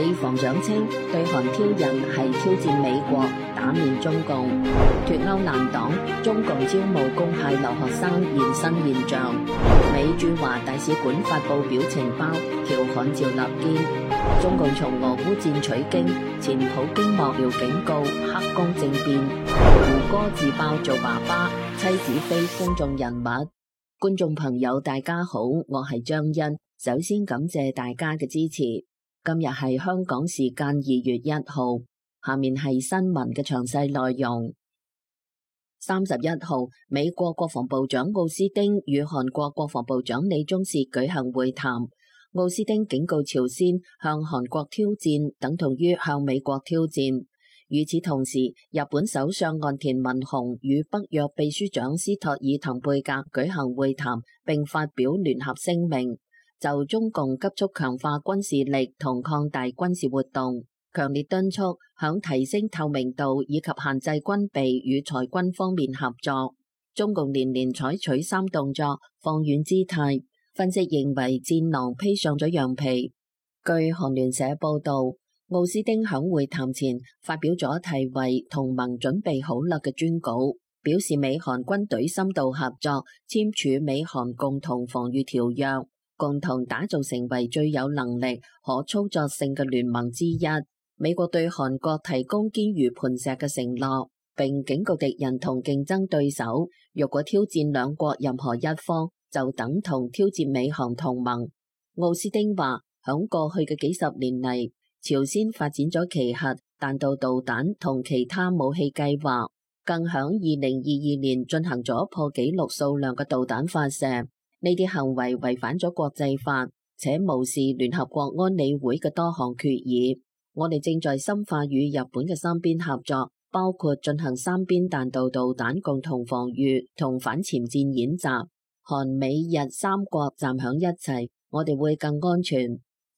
美防長稱，對韓挑釁係挑戰美國，打面中共。脫歐難擋，中共招募公派留學生現身現象。美駐華大使館發布表情包，調侃趙立堅。中共從俄烏戰取經，前普京幕僚警告黑宮政變。胡歌自爆做爸爸，妻子非公眾人物。觀眾朋友大家好，我係張欣，首先感謝大家嘅支持。今日係香港時間2月1號，下面係新聞嘅詳細內容。31號，美國國防部長奧斯汀與韓國國防部長李鍾燮舉行會談。奧斯汀警告朝鮮向韓國挑戰等同於向美國挑戰。與此同時，日本首相岸田文雄與北約秘書長斯托爾滕貝格舉行會談，並發表聯合聲明，就中共急速強化軍事力同擴大軍事活動，強烈敦促響提升透明度以及限制軍備與裁軍方面合作。中共連連採取3動作，放軟姿態。分析認為戰狼披上咗羊皮。據韓聯社報道，奧斯汀響會談前發表咗題為同盟準備好了嘅專稿，表示美韓軍隊深度合作，簽署美韓共同防禦條約，共同打造成為最有能力、可操作性嘅聯盟之一。美國對韓國提供堅如磐石嘅承諾，並警告敵人同競爭對手，若果挑戰兩國任何一方，就等同挑戰美韓同盟。奧斯汀話，響過去嘅幾十年嚟，朝鮮發展咗其核彈道導彈同其他武器計劃，更響2022年進行咗破紀錄數量嘅導彈發射。呢啲行為違反咗國際法，且無視聯合國安理會嘅多項決議。我哋正在深化與日本嘅三邊合作，包括進行三邊彈道導彈共同防禦同反潛艦演習。韓美日三國站響一齊，我哋會更安全。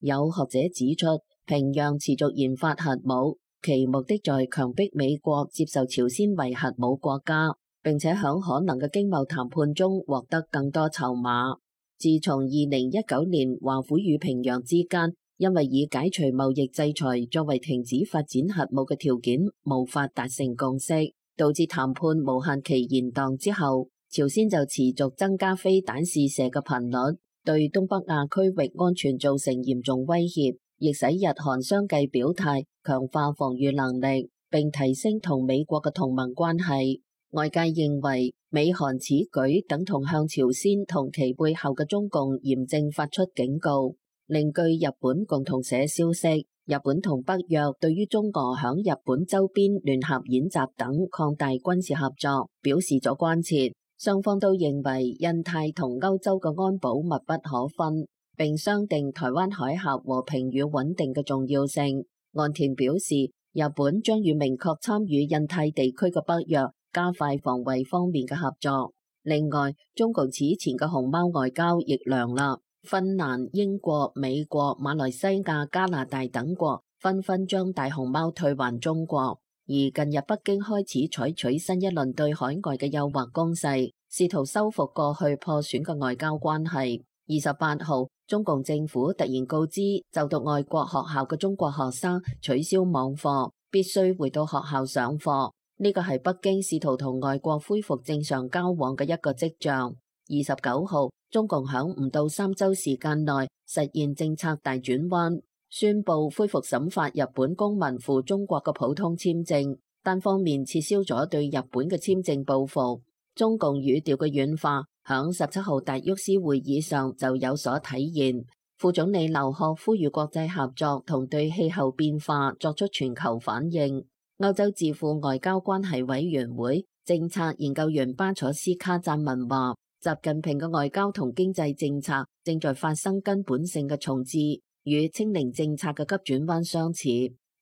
有學者指出，平壤持續研發核武，其目的在強迫美國接受朝鮮為核武國家，並且響可能嘅經貿談判中獲得更多籌碼。自從2019年華府與平壤之間因為以解除貿易制裁作為停止發展核武嘅條件無法達成共識，導致談判無限期延宕之後，朝鮮就持續增加飛彈試射嘅頻率，對東北亞區域安全造成嚴重威脅，亦使日韓相繼表態強化防禦能力，並提升同美國嘅同盟關係。外界認為美韓此舉等同向朝鮮同其背後嘅中共嚴正發出警告。另據日本共同社消息，日本同北約對於中俄響日本周邊聯合演習等擴大軍事合作表示咗關切。雙方都認為印太同歐洲嘅安保密不可分，並商定台灣海峽和平與穩定嘅重要性。岸田表示，日本將與明確參與印太地區嘅北約加快防衛方面嘅合作。另外，中共此前嘅熊貓外交亦涼啦，芬蘭、英國、美國、馬來西亞、加拿大等國紛紛將大熊貓退還中國。而近日北京開始採取新一輪對海外嘅誘惑攻勢，試圖修復過去破損嘅外交關係。28號，中共政府突然告知就讀外國學校嘅中國學生取消網課，必須回到學校上課。呢個係北京試圖同外國恢復正常交往嘅一個跡象。29號，中共響唔到3週時間內實現政策大轉彎，宣布恢復審發日本公民赴中國嘅普通簽證，單方面撤銷咗對日本嘅簽證報復。中共語調嘅軟化，響17號達沃斯會議上就有所體現。副總理劉鶴呼籲國際合作同對氣候變化作出全球反應。歐洲智庫外交關係委員會政策研究員巴楚斯卡贊文話，習近平嘅外交同經濟政策正在發生根本性嘅重置，與清零政策嘅急轉彎相似。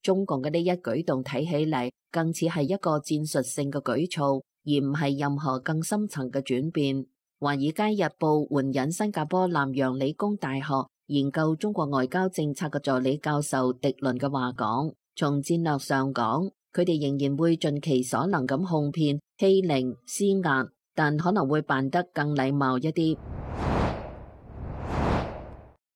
中共嘅呢一舉動睇起嚟更似係一個戰術性嘅舉措，而唔係任何更深層嘅轉變。華爾街日報援引新加坡南洋理工大學研究中國外交政策嘅助理教授迪倫嘅話講，從戰略上講，佢哋仍然會盡其所能咁哄騙、欺凌、施壓，但可能會辦得更禮貌一啲。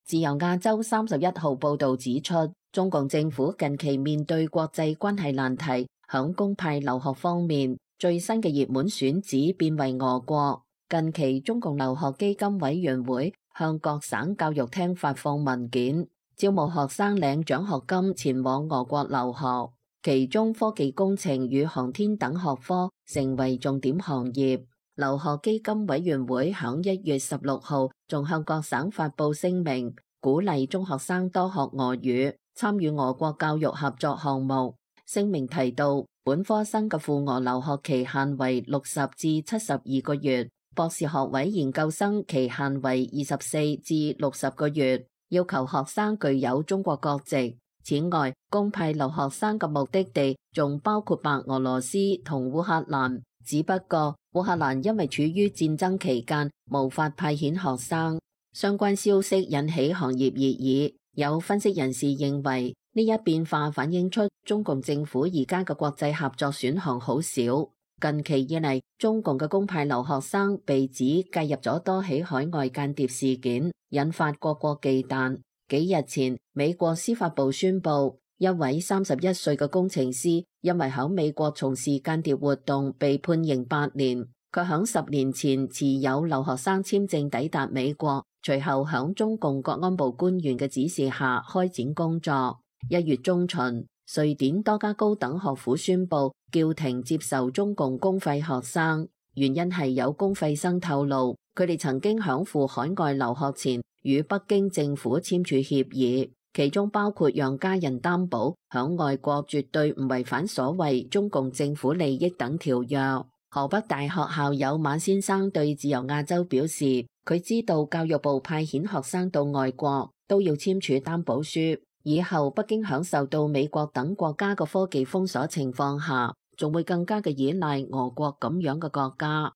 自由亞洲31號報導指出，中共政府近期面對國際關係難題，響公派留學方面，最新嘅熱門選址變為俄國。近期中共留學基金委員會向各省教育廳發放文件，招募學生領獎學金前往俄國留學，其中科技工程與航天等學科成為重點行業。留學基金委員會響1月16號仲向各省發布聲明，鼓勵中學生多學俄語，參與俄國教育合作項目。聲明提到，本科生嘅赴俄留學期限為60至72個月，博士學位研究生期限為24至60個月，要求學生具有中國國籍。此外，公派留學生嘅目的地仲包括白俄羅斯同烏克蘭，只不過烏克蘭因為處於戰爭期間，無法派遣學生。相關消息引起行業熱議，有分析人士認為呢一變化反映出中共政府而家嘅國際合作選項好少。近期以嚟，中共嘅公派留學生被指介入咗多起海外間諜事件，引發各國忌憚。幾日前，美國司法部宣布，一位31歲嘅工程師因為喺美國從事間諜活動被判刑8年。佢喺10年前持有留學生簽證抵達美國，隨後喺中共國安部官員嘅指示下開展工作。1月中旬，瑞典多家高等學府宣布叫停接受中共公費學生，原因係有公費生透露，佢哋曾經響赴海外留學前與北京政府簽署協議，其中包括讓家人擔保響外國絕對唔違反所謂中共政府利益等條約。河北大學校友馬先生對自由亞洲表示，佢知道教育部派遣學生到外國都要簽署擔保書，以後北京響受到美國等國家嘅科技封鎖情況下，仲會更加嘅依賴俄國咁樣嘅國家。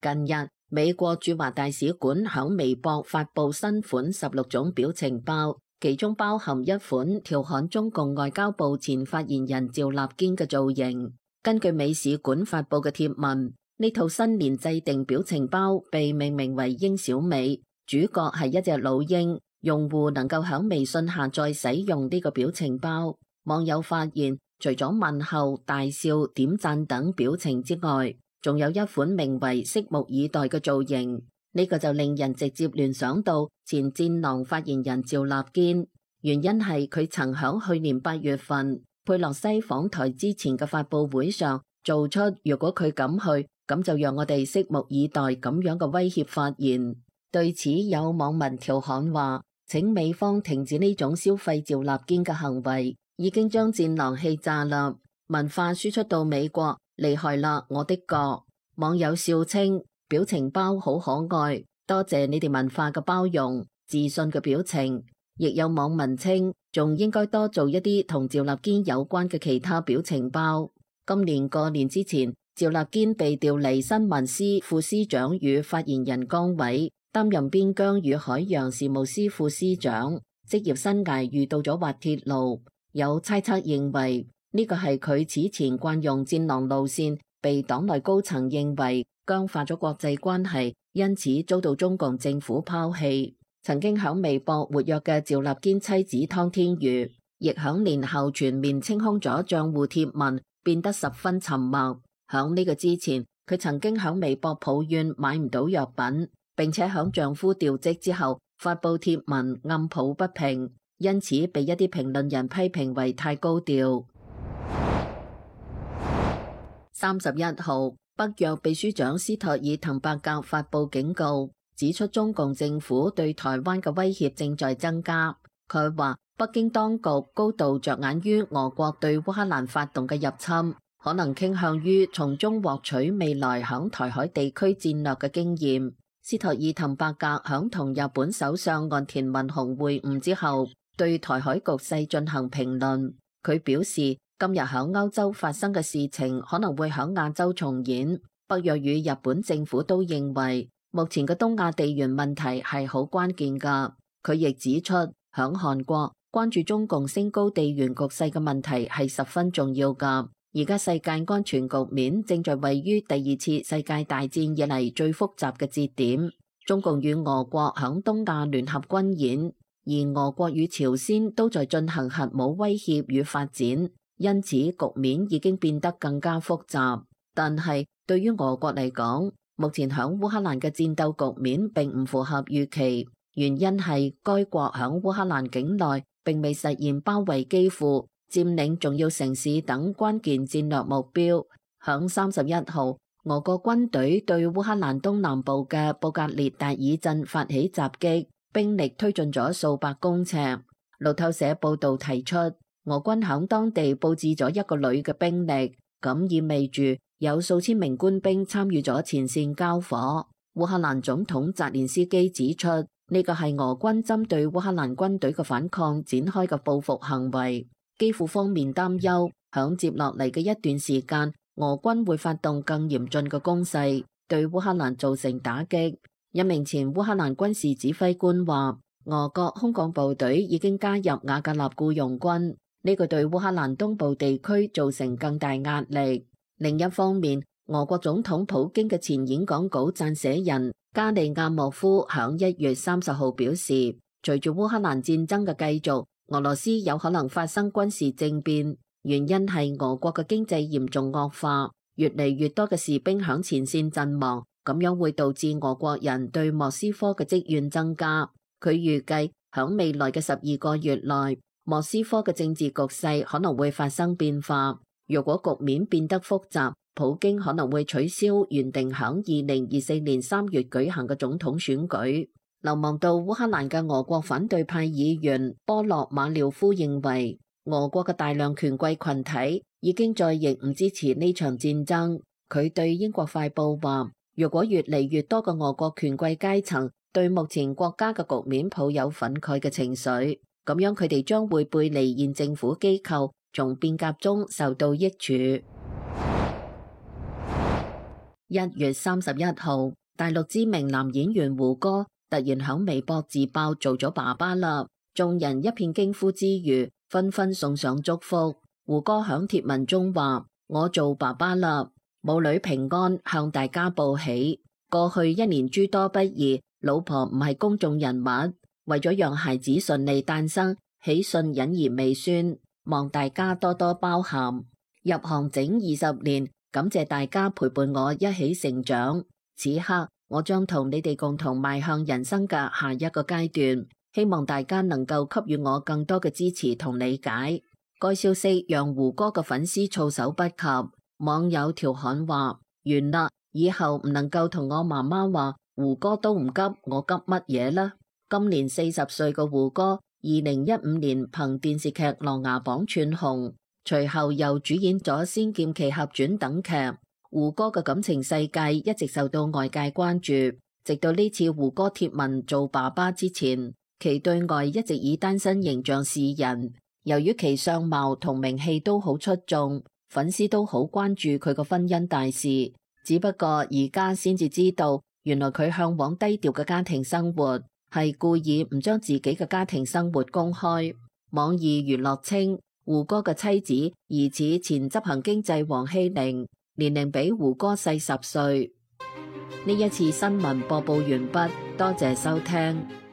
近日，美國駐華大使館響微博發布新款16種表情包，其中包含一款調侃中共外交部前發言人趙立堅嘅造型。根據美使館發布嘅貼文，呢套新年制定表情包被命名為鷹小美，主角係一隻老鷹，用戶能夠響微信下載使用呢個表情包。網友發現，除咗問候、大笑、點讚等表情之外，仲有一款名為拭目以待嘅造型，呢個就令人直接聯想到前戰狼發言人趙立堅。原因係佢曾響去年8月份佩洛西訪台之前嘅發佈會上做出如果佢敢去，咁就讓我哋拭目以待咁樣嘅威脅發言。對此有網民調侃話，請美方停止呢種消費趙立堅嘅行為，已經將戰狼氣炸啦，文化輸出到美國，厲害啦，我的國。網友笑稱表情包好可愛，多謝你哋文化嘅包容、自信嘅表情。亦有網民稱仲應該多做一啲同趙立堅有關嘅其他表情包。今年過年之前，趙立堅被調離新聞司副司長與發言人崗位，擔任邊疆與海洋事務司副司長，職業生涯遇到咗滑鐵盧。有猜測認為呢個係佢此前慣用戰狼路線，被黨內高層認為僵化咗國際關係，因此遭到中共政府拋棄。曾經響微博活躍嘅趙立堅妻子湯天瑜，亦響年後全面清空咗賬戶貼文，變得十分沉默。響呢個之前，佢曾經響微博抱怨買唔到藥品，並且響丈夫調職之後發布貼文暗抱不平，因此被一啲評論人批評為太高調。31號，北約秘書長斯托爾滕伯格發布警告，指出中共政府對台灣嘅威脅正在增加。佢話北京當局高度着眼於俄國對烏克蘭發動嘅入侵，可能傾向於從中獲取未來響台海地區戰略嘅經驗。斯托爾滕伯格響同日本首相岸田文雄會晤之後，對台海局勢進行評論。佢表示，今日響歐洲發生嘅事情可能會響亞洲重演。北約與日本政府都認為目前嘅東亞地緣問題係好關鍵㗎。佢亦指出，響韓國關注中共升高地緣局勢嘅問題係十分重要㗎。而家世界安全局面正在位於第2次世界大戰以嚟最複雜嘅節點。中共與俄國響東亞聯合軍演，而俄國與朝鮮都在進行核武威脅與發展，因此局面已經變得更加複雜。但係對於俄國嚟講，目前響烏克蘭嘅戰鬥局面並唔符合預期，原因係該國響烏克蘭境內並未實現包圍基輔、佔領重要城市等關鍵戰略目標。響31號，俄國軍隊對烏克蘭東南部嘅布格列達爾鎮發起襲擊，兵力推進咗數百公尺。路透社報道提出，俄軍響當地佈置咗1個旅嘅兵力，咁意味住有數千名官兵參與咗前線交火。烏克蘭總統澤連斯基指出，呢個係俄軍針對烏克蘭軍隊嘅反抗展開嘅報復行為。基輔方面擔憂，響接落嚟嘅一段時間，俄軍會發動更嚴峻嘅攻勢，對烏克蘭造成打擊。一名前烏克蘭軍事指揮官話，俄國空降部隊已經加入瓦格納僱傭軍，呢個對烏克蘭東部地區造成更大壓力。另一方面，俄國總統普京嘅前演講稿撰寫人加利亞莫夫響1月30號表示，隨住烏克蘭戰爭嘅繼續，俄羅斯有可能發生軍事政變，原因係俄國嘅經濟嚴重惡化，越嚟越多嘅士兵響前線陣亡，咁樣會導致俄國人對莫斯科嘅積怨增加。佢預計響未來嘅12個月內，莫斯科嘅政治局勢可能會發生變化。如果局面變得複雜，普京可能會取消原定響2024年3月舉行嘅總統選舉。流亡到烏克蘭嘅俄國反對派議員波洛馬廖夫認為，俄國嘅大量權貴群體已經再亦唔支持呢場戰爭。佢對英國快報話，如果越嚟越多嘅俄國權貴階層對目前國家嘅局面抱有憤慨嘅情緒，咁樣佢哋將會背離現政府機構，從變革中受到益處。1月31號，大陸知名男演員胡歌突然響微博自爆做咗爸爸啦，眾人一片驚呼之餘，紛紛送上祝福。胡歌響貼文中話：我做爸爸啦，母女平安，向大家報喜。過去1年諸多不易，老婆唔係公眾人物，為咗讓孩子順利誕生，喜訊隱而未宣，望大家多多包涵。入行整20年，感謝大家陪伴我一起成長。此刻我將同你哋共同邁向人生嘅下一個階段，希望大家能夠給予我更多嘅支持同理解。該消息讓胡歌嘅粉絲措手不及，網友調侃話：完啦，以後唔能夠同我媽媽話胡歌都唔急，我急乜嘢啦？今年40歲嘅胡歌，2015年憑電視劇《琅琊榜》串紅，隨後又主演咗《仙劍奇俠傳》等劇。胡歌嘅感情世界一直受到外界關注，直到呢次胡歌貼文做爸爸之前，其對外一直以單身形象示人。由於其相貌同名氣都好出眾，粉絲都好關注佢個婚姻大事。只不過而家先至知道，原來佢向往低調嘅家庭生活，係故意唔將自己嘅家庭生活公開。網易娛樂稱，胡歌嘅妻子疑似前執行經濟王希玲，年齡比胡歌細10歲。呢一次新聞播報完畢，多謝收聽。